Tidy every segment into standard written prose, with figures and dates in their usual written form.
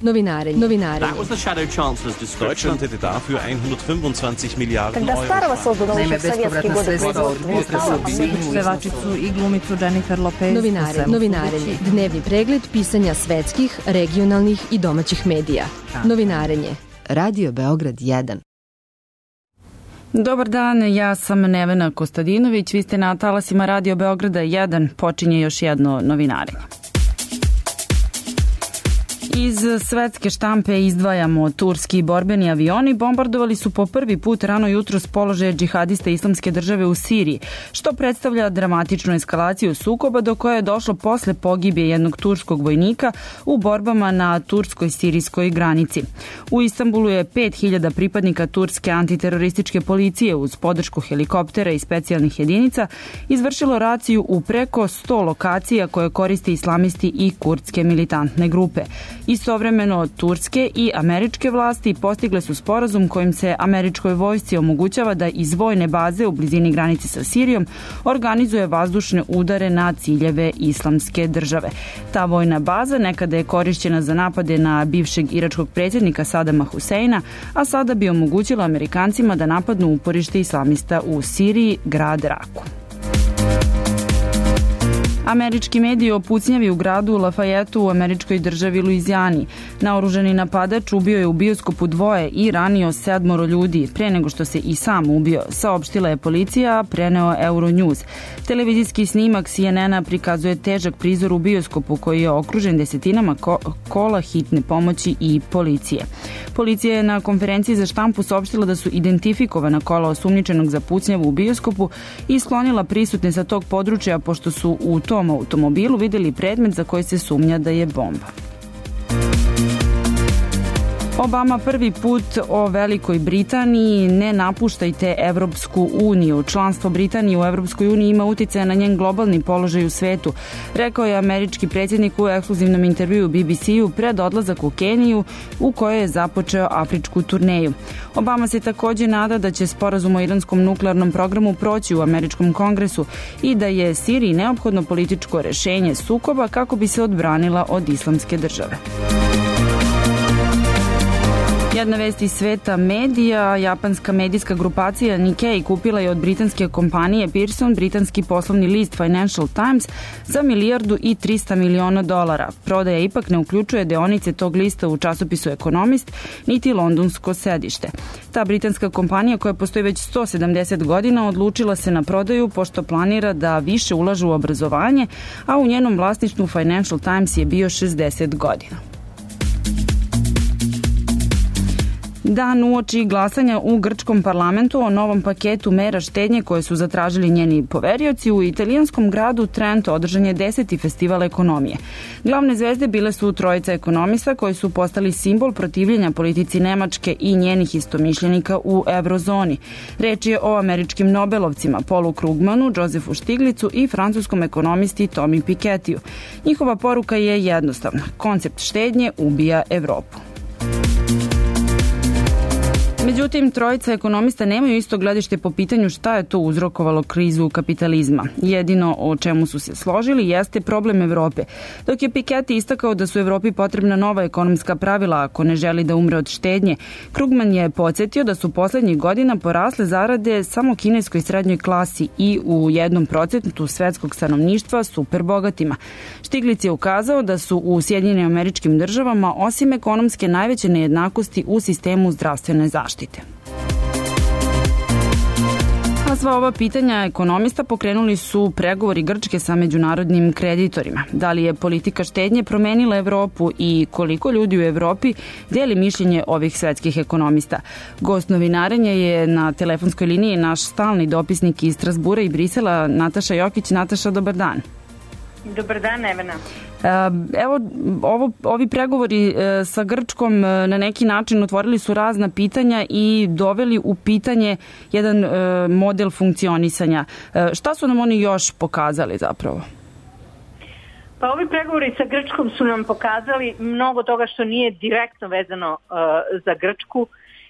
Novinarenje. That was the Shadow Chancellor's description. Deutschland hätte dafür 125 Miliarden Когда старого Euro. создан еще в советские годы производства. Pevačicu i glumicu Jennifer Lopez. Novinarenje. Dnevni pregled pisanja svetskih, regionalnih i domaćih medija. Novinarenje. Radio Beograd 1. Dobar dan, ja sam Nevena Kostadinović, vi ste na talasima Radio Beograda 1, počinje još jedno novinarenje. Iz svetske štampe izdvajamo turski borbeni avioni bombardovali su po prvi put rano jutro s položaja džihadista Islamske države u Siriji, što predstavlja dramatičnu eskalaciju sukoba do koje je došlo posle pogibije jednog turskog vojnika u borbama na turskoj-sirijskoj granici. U Istanbulu je 5000 pripadnika turske antiterorističke policije uz podršku helikoptera i specijalnih jedinica izvršilo raciju u preko 100 lokacija koje koriste islamisti i kurdske militantne grupe. Istovremeno, turske i američke vlasti postigle su sporazum kojim se američkoj vojsci omogućava da iz vojne baze u blizini granice sa Sirijom organizuje vazdušne udare na ciljeve Islamske države. Ta vojna baza nekada je korišćena za napade na bivšeg iračkog predsjednika Sadama Huseina, a sada bi omogućila Amerikancima da napadnu uporište islamista u Siriji, grad Raku. Američki mediji o pucnjavi u gradu Lafayetteu u američkoj državi Luizijani. Naoružani napadač ubio je u bioskopu 2 i ranio 7 ljudi, pre nego što se i sam ubio, saopštila je policija, preneo Euronews. Televizijski snimak CNN-a prikazuje težak prizor u bioskopu koji je okružen desetinama kola hitne pomoći i policije. Policija je na konferenciji za štampu saopštila da su identifikovana kola osumnjičenog za pucnjavu u bioskopu i sklonila prisutne sa tog područja pošto su u tom automobilu videli predmet za koji se sumnja da je bomba. Obama prvi put o Velikoj Britaniji: ne napuštajte Evropsku uniju. Članstvo Britanije u Evropskoj uniji ima uticaja na njen globalni položaj u svetu, rekao je američki predsjednik u ekskluzivnom intervjuu BBC-u pred odlazak u Keniju u kojoj je započeo afričku turneju. Obama se takođe nada da će sporazum o iranskom nuklearnom programu proći u američkom kongresu i da je Siriji neophodno političko rešenje sukoba kako bi se odbranila od Islamske države. Jedna vest iz sveta medija: japanska medijska grupacija Nikkei kupila je od britanske kompanije Pearson britanski poslovni list Financial Times za $1,3 miliona. Prodaja ipak ne uključuje deonice tog lista u časopisu Economist, niti londonsko sedište. Ta britanska kompanija, koja postoji već 170 godina, odlučila se na prodaju pošto planira da više ulaže u obrazovanje, a u njenom vlasništvu Financial Times je bio 60 godina. Dan uoči glasanja u grčkom parlamentu o novom paketu mera štednje koje su zatražili njeni poverioci, u italijanskom gradu Trento održan je 10. festival ekonomije. Glavne zvezde bile su trojica ekonomista koji su postali simbol protivljenja politici Nemačke i njenih istomišljenika u eurozoni. Reč je o američkim Nobelovcima Paulu Krugmanu, Josefu Stiglicu i francuskom ekonomisti Tomi Piketiju. Njihova poruka je jednostavna: koncept štednje ubija Evropu. Međutim, trojica ekonomista nemaju isto gledište po pitanju šta je to uzrokovalo krizu kapitalizma. Jedino o čemu su se složili jeste problem Evrope, dok je Piketty istakao da su Evropi potrebna nova ekonomska pravila ako ne želi da umre od štednje. Krugman je podsjetio da su poslednjih godina porasle zarade samo kineskoj srednjoj klasi i u 1% svetskog stanovništva super bogatima. Stiglic je ukazao da su u Sjedinjenim Američkim Državama osim ekonomske najveće nejednakosti u sistemu zdravstvene zaštite. A sva ova pitanja ekonomista pokrenuli su pregovori Grčke sa međunarodnim kreditorima. Da li je politika štednje promenila Evropu i koliko ljudi u Evropi deli mišljenje ovih svetskih ekonomista? Gost novinarenja je na telefonskoj liniji naš stalni dopisnik iz Strasbura i Brisela, Nataša Jokić. Nataša, dobar dan. Dobar dan, Nevena. Evo, ovi pregovori sa Grčkom na neki način otvorili su razna pitanja i doveli u pitanje jedan model funkcionisanja. Šta su nam oni još pokazali zapravo? Pa ovi pregovori sa Grčkom su nam pokazali mnogo toga što nije direktno vezano za Grčku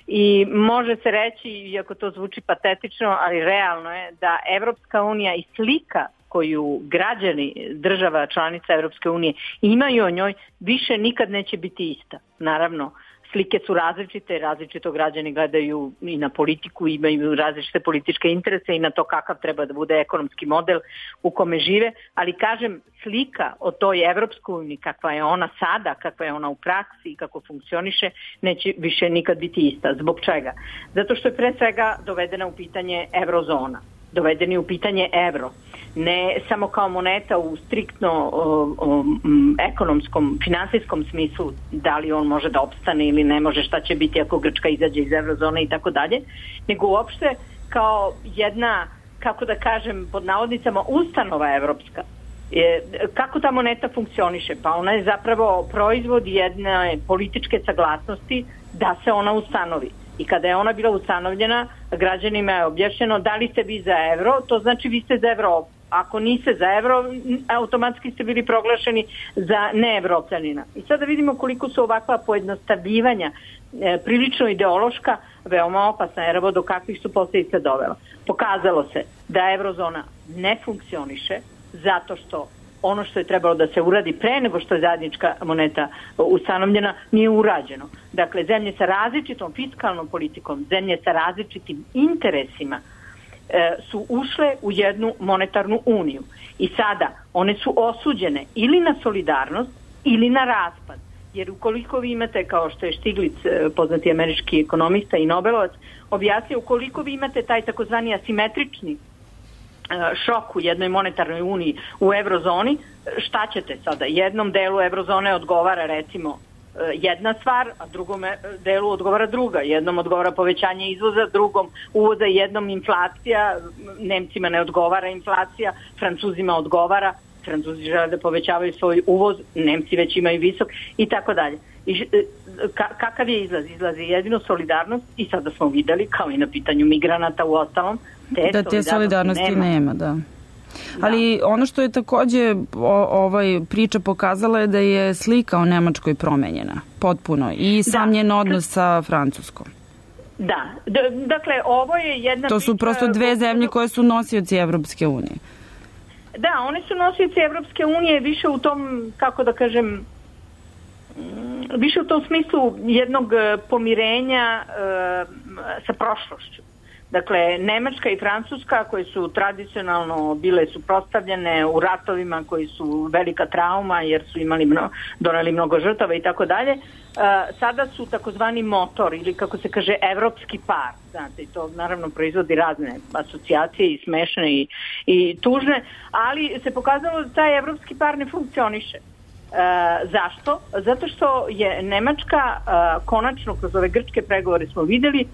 i može se reći, iako to zvuči patetično, ali realno je da Evropska unija i slika koju građani država članica Evropske unije imaju o njoj više nikad neće biti ista. Naravno, slike su različite, različito građani gledaju i na politiku, imaju različite političke interese i na to kakav treba da bude ekonomski model u kome žive, ali kažem, slika o toj Evropskoj uniji, kakva je ona sada, kakva je ona u praksi i kako funkcioniše, neće više nikad biti ista. Zbog čega? Zato što je pre svega dovedena u pitanje eurozona, dovedeni u pitanje evro. Ne samo kao moneta u striktno ekonomskom, finansijskom smislu, da li on može da opstane ili ne može, šta će biti ako Grčka izađe iz eurozone i tako dalje, nego uopšte kao jedna, kako da kažem, pod navodnicama, ustanova evropska. Kako ta moneta funkcioniše? Pa ona je zapravo proizvod jedne političke saglasnosti da se ona ustanovi. I kada je ona bila ustanovljena, građanima je objašnjeno da li ste vi za evro, to znači vi ste za Evropu. Ako niste za evro, automatski ste bili proglašeni za neevropljanina. I sada vidimo koliko su ovakva pojednostavljivanja prilično ideološka, veoma opasna, jer evo do kakvih su posljedica dovela. Pokazalo se da eurozona ne funkcioniše zato što ono što je trebalo da se uradi pre nego što je zajednička moneta ustanovljena nije urađeno. Dakle, zemlje sa različitom fiskalnom politikom, zemlje sa različitim interesima su ušle u jednu monetarnu uniju. I sada one su osuđene ili na solidarnost ili na raspad. Jer ukoliko vi imate, kao što je Stiglic, poznati američki ekonomista i Nobelovac, objasnio, ukoliko vi imate taj takozvani asimetrični šok u jednoj monetarnoj uniji u eurozoni, šta ćete sada? Jednom delu eurozone odgovara recimo jedna stvar, a drugom delu odgovara druga. Jednom odgovara povećanje izvoza, drugom uvoza, jednom inflacija, Nemcima ne odgovara inflacija, Francuzima odgovara, Francuzi žele da povećavaju svoj uvoz, Nemci već imaju visok i tako dalje. Kakav je izlaz? Izlaz je jedino solidarnost i sada smo videli, kao i na pitanju migranata u ostalom, te solidarnosti nema, da. Ali ono što je takođe priča pokazala je da je slika o Nemačkoj promenjena potpuno i sam njen odnos sa Francuskom. Da, dakle ovo je jedna to su prosto dve zemlje koje su nosioci Evropske unije. Da, one su nosioci Evropske unije više u tom, kako da kažem, više u tom smislu jednog pomirenja sa prošlošću. Dakle, Nemačka i Francuska, koje su tradicionalno bile suprotstavljene u ratovima koji su velika trauma jer su doneli mnogo žrtava i tako dalje, sada su takozvani motor ili, kako se kaže, evropski par. Znate, to naravno proizvodi razne asocijacije i smešne i tužne, ali se pokazalo da taj evropski par ne funkcioniše. Zašto? Zato što je Nemačka konačno kroz ove grčke pregovore smo videli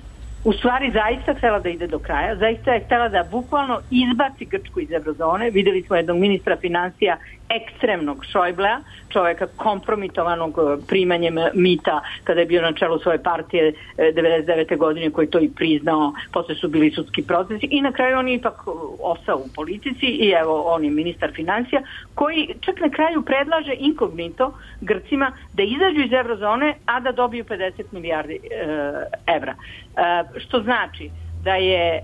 u stvari zaista htjela da ide do kraja, zaista je htjela da bukvalno izbaci Grčku iz eurozone. Videli smo jednog ministra financija ekstremnog Šojblea, čovjeka kompromitovanog primanjem mita kada je bio na čelu svoje partije 99. godine, koji to i priznao, posle su bili sudski procesi i na kraju on je ipak ostao u politici i evo on je ministar financija koji čak na kraju predlaže inkognito Grcima da izađu iz eurozone, a da dobiju 50 milijardi evra. Što znači da je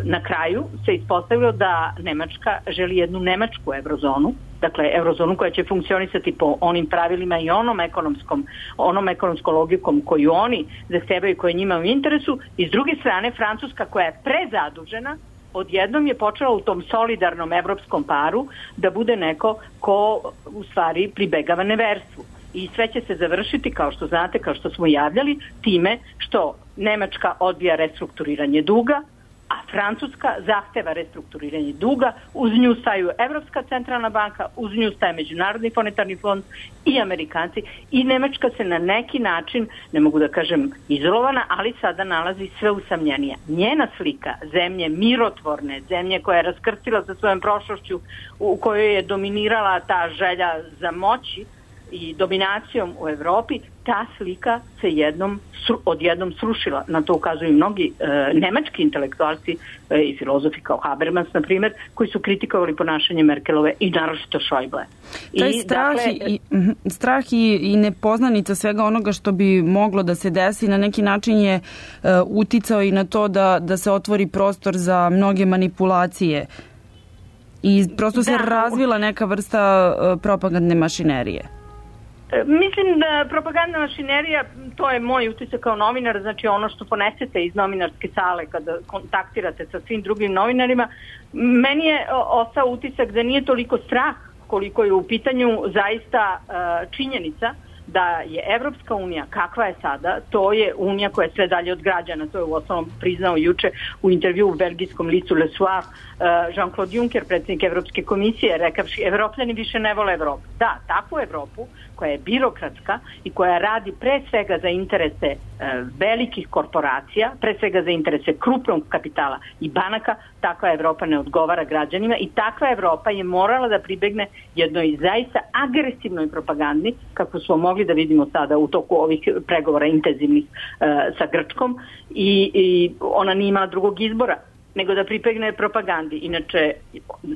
na kraju se ispostavilo da Nemačka želi jednu nemačku eurozonu, dakle eurozonu koja će funkcionisati po onim pravilima i onom ekonomskom logikom koju oni zahtevaju, koje njima u interesu, i s druge strane Francuska koja je prezadužena odjednom je počela u tom solidarnom evropskom paru da bude neko ko u stvari pribegava neverstvu. I sve će se završiti, kao što znate, kao što smo javljali, time što Nemačka odbija restrukturiranje duga, a Francuska zahteva restrukturiranje duga, uz nju staju Evropska centralna banka, uz nju staje Međunarodni monetarni fond i Amerikanci, i Nemačka se na neki način, ne mogu da kažem izolovana, ali sada nalazi sve usamljenija. Njena slika zemlje mirotvorne, zemlje koja je raskrstila sa svojom prošlošću, u kojoj je dominirala ta želja za moći i dominacijom u Evropi, ta slika se odjednom srušila. Na to ukazuju mnogi nemački intelektualci i filozofi kao Habermas, na primjer, koji su kritikovali ponašanje Merkelove i naročito Šojble. Taj strah i nepoznanica svega onoga što bi moglo da se desi na neki način je uticao i na to da se otvori prostor za mnoge manipulacije I prosto se razvila neka vrsta propagandne mašinerije. Mislim da propagandna mašinerija, to je moj utisak kao novinar, znači ono što ponesete iz novinarske sale kada kontaktirate sa svim drugim novinarima, meni je ostao utisak da nije toliko strah koliko je u pitanju zaista činjenica da je Evropska unija, kakva je sada, to je unija koja je sve dalje od građana. To je u osnovom priznao juče u intervju u belgijskom listu Le Soir Jean-Claude Juncker, predsjednik Evropske komisije, rekavši Evropljani više ne vole Evropu. Da, takvu Evropu koja je birokratska i koja radi pre svega za interese velikih korporacija, pre svega za interese krupnog kapitala i banaka, takva Evropa ne odgovara građanima i takva Evropa je morala da pribegne jednoj zaista agresivnoj propagandi, kako smo mogli da vidimo sada u toku ovih pregovora intenzivnih sa Grčkom i ona nije imala drugog izbora nego da pripegne propagandi. Inače,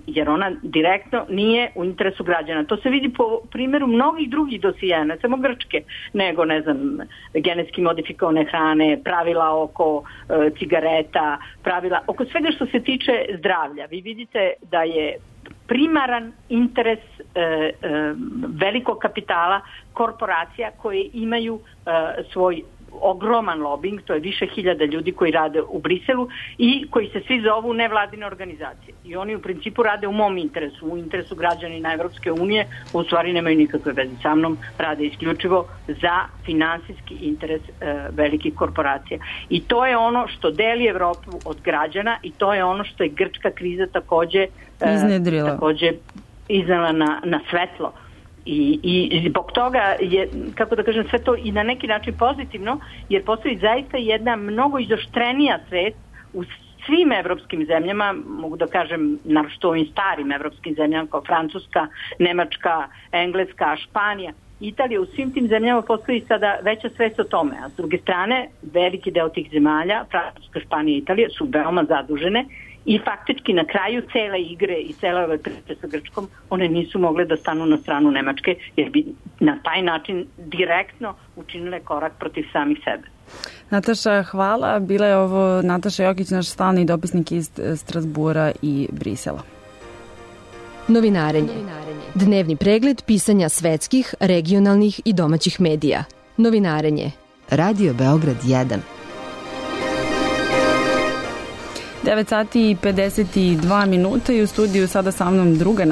jer ona direktno nije u interesu građana. To se vidi po primjeru mnogih drugih dosija, ne samo Grčke, nego, ne znam, genetski modifikovane hrane, pravila oko cigareta, pravila oko svega što se tiče zdravlja. Vi vidite da je primaran interes velikog kapitala, korporacija koje imaju svoj ogroman lobing, to je više hiljada ljudi koji rade u Briselu i koji se svi zovu nevladine organizacije. I oni u principu rade u mom interesu, u interesu građanina Evropske unije, u stvari nemaju nikakve veze sa mnom, rade isključivo za finansijski interes velikih korporacija. I to je ono što deli Evropu od građana i to je ono što je grčka kriza takođe iznela na svetlo. I zbog toga je, kako da kažem, sve to i na neki način pozitivno, jer postoji zaista jedna mnogo izoštrenija svest u svim evropskim zemljama, mogu da kažem, naročito ovim starim evropskim zemljama kao Francuska, Nemačka, Engleska, Španija, Italija, u svim tim zemljama postoji sada veća svest o tome, a s druge strane veliki deo tih zemalja, Francuska, Španija i Italija, su veoma zadužene i faktički na kraju cele igre i cele ove priče sa Grčkom one nisu mogle da stanu na stranu Nemačke jer bi na taj način direktno učinile korak protiv samih sebe. Nataša, hvala. Bila je ovo Nataša Jokić, naš stalni dopisnik iz Strasbura i Brisela. Novinarenje. Dnevni pregled pisanja svetskih, regionalnih i domaćih medija. Novinarenje. Radio Beograd 1. 9 sati i 52 minuta i u studiju sada sa mnom druga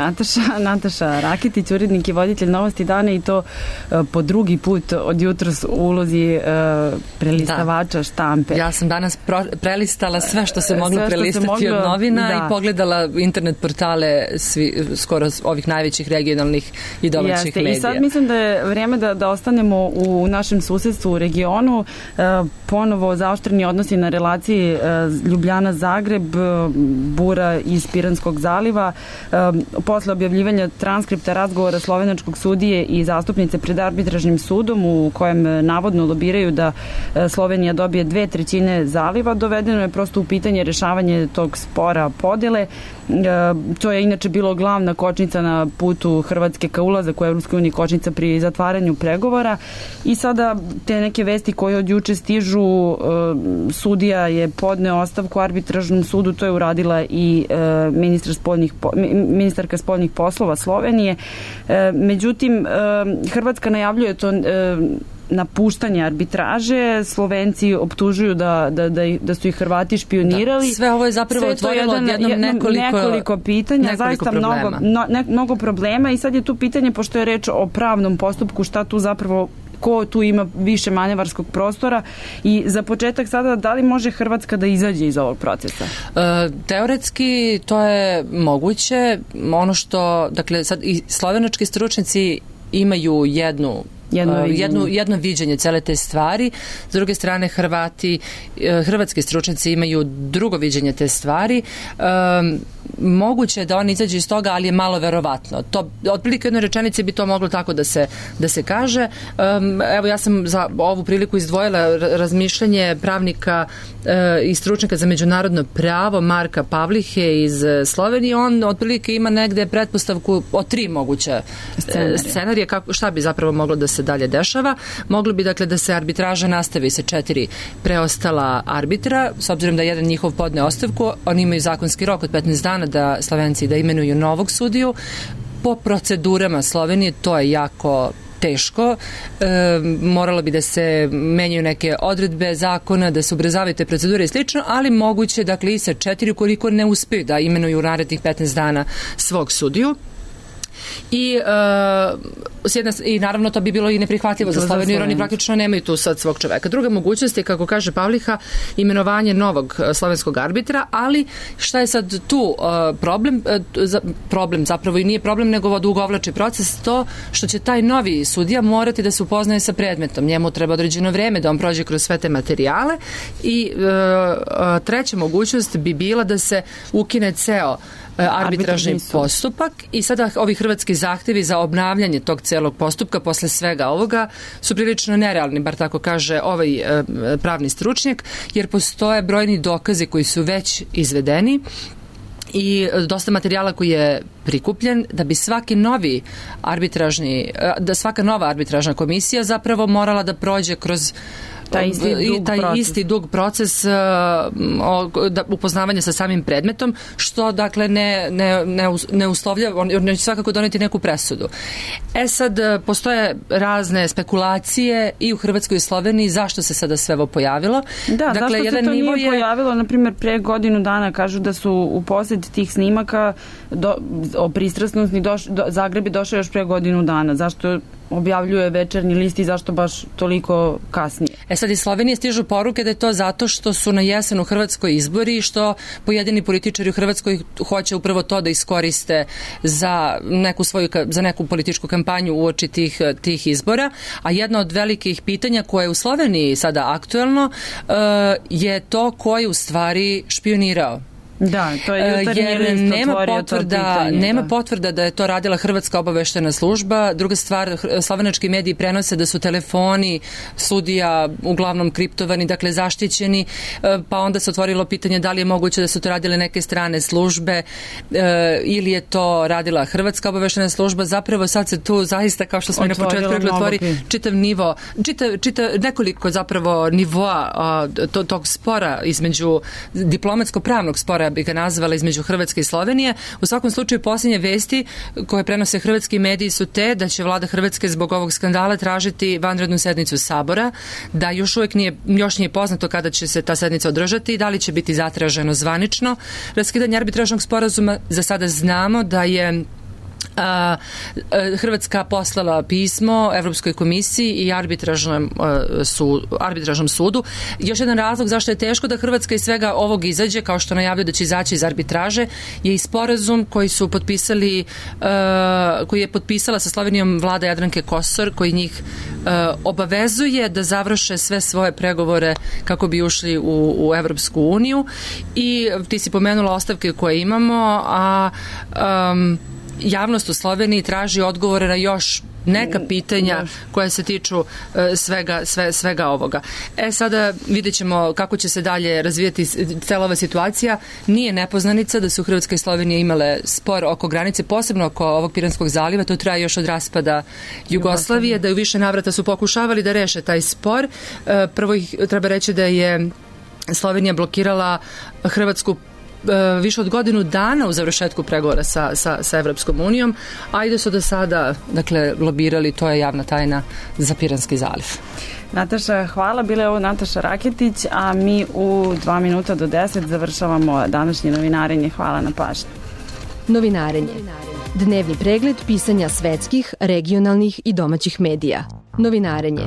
Nataša Rakitić, urednik i voditelj Novosti dana i to po drugi put od jutros u ulozi prelistavača štampe. Ja sam danas prelistala sve što se moglo prelistati od novina i pogledala internet portale skoro ovih najvećih regionalnih i domaćih medija. I sad mislim da je vrijeme da ostanemo u našem susedstvu u regionu, ponovo zaoštreni odnosi na relaciji Ljubljana-Zagreb, bura iz Piranskog zaliva. Posle objavljivanja transkripta razgovora slovenačkog sudije i zastupnice pred arbitražnim sudom u kojem navodno lobiraju da Slovenija dobije 2/3 zaliva, dovedeno je prosto u pitanje rešavanje tog spora podele. To je inače bilo glavna kočnica na putu Hrvatske ka ulazak u Evropskoj uniji, kočnica pri zatvaranju pregovora i sada te neke vesti koje od juče stižu, sudija je podneo ostavku arbitražnom sudu, to je uradila i ministarka spoljnih poslova Slovenije. Međutim, Hrvatska najavljuje to napuštanje arbitraže, Slovenci optužuju da su ih Hrvati špionirali. Da, sve ovo je zapravo otvorilo odjednom nekoliko pitanja, zaista mnogo problema i sad je tu pitanje, pošto je reč o pravnom postupku, šta tu zapravo, ko tu ima više manevarskog prostora i za početak sada, da li može Hrvatska da izađe iz ovog procesa? Teoretski to je moguće. Ono što, dakle, sad i slovenački stručnjaci imaju jedno viđenje cele te stvari. S druge strane, hrvatski stručnjaci imaju drugo viđenje te stvari. Moguće je da oni izađu iz toga, ali je malo verovatno. To, otprilike u jednoj rečenici bi to moglo tako da se kaže. Evo, ja sam za ovu priliku izdvojila razmišljanje pravnika i stručnjaka za međunarodno pravo Marka Pavlihe iz Slovenije. On otprilike ima negde pretpostavku o 3 moguće scenarije šta bi zapravo moglo da se dalje dešava. Moglo bi, dakle, da se arbitraža nastavi sa 4 preostala arbitra, s obzirom da jedan njihov podne ostavku, oni imaju zakonski rok od 15 dana dana da Slovenci da imenuju novog sudiju. Po procedurama Slovenije to je jako teško, moralo bi da se menjaju neke odredbe zakona, da se ubrzavaju te procedure i slično, ali moguće, dakle, i sa 4 ukoliko ne uspeju da imenuju u narednih 15 dana svog sudiju. I naravno to bi bilo i neprihvatljivo za Sloveniju, jer oni praktično nemaju tu sad svog čoveka. Druga mogućnost je, kako kaže Pavliha, imenovanje novog slovenskog arbitra, ali šta je sad tu problem zapravo i nije problem, nego odugovlači proces, to što će taj novi sudija morati da se upoznaje sa predmetom. Njemu treba određeno vreme da on prođe kroz sve te materijale i treća mogućnost bi bila da se ukine ceo arbitražni postupak i sada ovi hrvatski zahtevi za obnavljanje tog celog postupka posle svega ovoga su prilično nerealni, bar tako kaže ovaj pravni stručnjak, jer postoje brojni dokazi koji su već izvedeni i dosta materijala koji je prikupljen da bi svaka nova arbitražna komisija zapravo morala da prođe kroz taj isti dug proces upoznavanja sa samim predmetom, što dakle ne uslovlja, on će svakako doneti neku presudu. Sad postoje razne spekulacije i u Hrvatskoj i Sloveniji zašto se sada sve ovo pojavilo. Da, dakle, zašto se to nije pojavilo, na primjer, pre godinu dana kažu da su u posjed tih snimaka o pristrasnosti Zagreb je došao još pre godinu dana. Zašto objavljuje Večernji list i zašto baš toliko kasnije? Sad iz Slovenije stižu poruke da je to zato što su na jesen u Hrvatskoj izbori i što pojedini političari u Hrvatskoj hoće upravo to da iskoriste za neku političku kampanju uoči tih izbora, a jedno od velikih pitanja koje je u Sloveniji sada aktuelno je to ko je u stvari špionirao. Da, to je Jutarnji list otvorio to pitanje. Nema potvrda da je to radila Hrvatska obaveštena služba. Druga stvar, slovenački mediji prenose da su telefoni sudija uglavnom kriptovani, dakle zaštićeni, pa onda se otvorilo pitanje da li je moguće da su to radile neke strane službe ili je to radila Hrvatska obaveštena služba. Zapravo sad se tu zaista, kao što smo i na početku rekli, otvori čitav nivo, nekoliko zapravo nivoa tog spora između diplomatsko-pravnog spora bi ga nazvala između Hrvatske i Slovenije. U svakom slučaju posljednje vesti koje prenose hrvatski mediji su te da će vlada Hrvatske zbog ovog skandala tražiti vanrednu sednicu Sabora, da još nije poznato kada će se ta sednica održati i da li će biti zatraženo zvanično raskidanje arbitražnog sporazuma. Za sada znamo da je Hrvatska poslala pismo Evropskoj komisiji i arbitražnom sudu. Još jedan razlog zašto je teško da Hrvatska iz svega ovog izađe, kao što najavljuje da će izaći iz arbitraže, je i sporazum koji je potpisala sa Slovenijom vlada Jadranke Kosor, koji njih obavezuje da završe sve svoje pregovore kako bi ušli u Evropsku uniju. I ti si pomenula ostavke koje imamo, a javnost u Sloveniji traži odgovore na još neka pitanja koja se tiču svega ovoga. Sada vidjet ćemo kako će se dalje razvijati cela ova situacija. Nije nepoznanica da su Hrvatska i Slovenija imale spor oko granice, posebno oko ovog Piranskog zaliva. To traje još od raspada Jugoslavije, da u više navrata su pokušavali da reše taj spor. Prvo treba reći da je Slovenija blokirala Hrvatsku više od godinu dana u završetku pregovora sa Evropskom unijom, a i da su do sada lobirali, to je javna tajna, za Piranski zaliv. Nataša, hvala. Bila je ovo Nataša Raketić, a mi u 2 minuta do 10 završavamo današnje novinarenje. Hvala na pažnji. Novinarenje. Dnevni pregled pisanja svetskih, regionalnih i domaćih medija. Novinarenje.